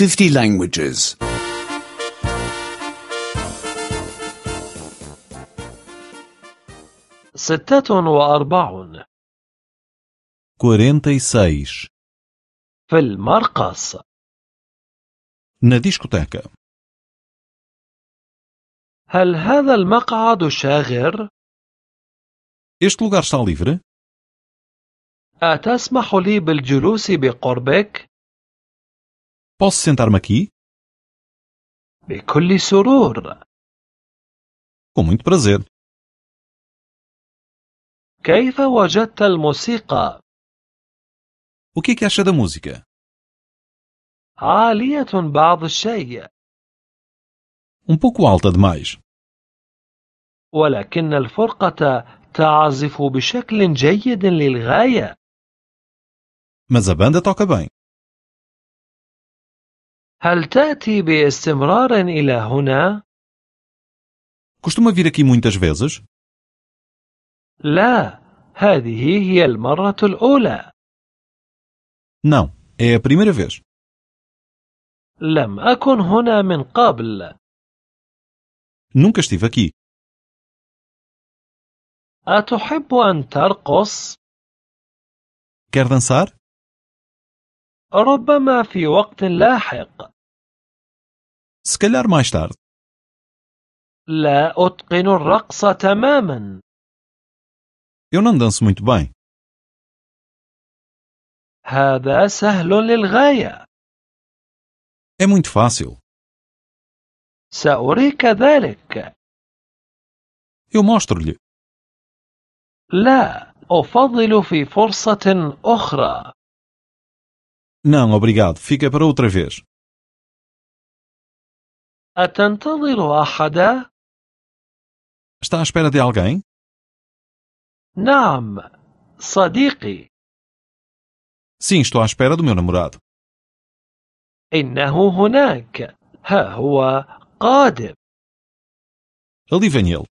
50 languages. 46 46. في المرقص. Na discoteca. هل هذا المقعد شاغر؟ Este lugar está livre? أتسمح لي بالجلوس بقربك؟ Posso sentar-me aqui? بكل سرور. Com muito prazer. كيف وجدت الموسيقى؟ O que é que acha da música? عالية بعض الشيء، Um pouco alta demais. ولكن الفرقة تعزف بشكل جيد للغاية. Mas a banda toca bem. هل تأتي باستمرار إلى هنا؟ Costuma vir aqui muitas vezes? لا، هذه هي المرة الأولى. Não, é a primeira vez. لم أكن هنا من قبل. Nunca estive aqui. أتحب أن ترقص؟ Quer dançar? ربما في وقت لاحق. Se calhar mais tarde. لا أتقن الرقص تماما. Eu não danço muito bem. هذا سهل للغاية. É muito fácil. سأريك ذلك. Eu mostro-lhe. لا، أفضل في فرصة أخرى. Não, obrigado. Fica para outra vez. أتنتظر أحدا؟ Está à espera de alguém? نعم، صديقي. Sim, estou à espera do meu namorado. إنه هناك. ها هو قادم. Ali vem ele.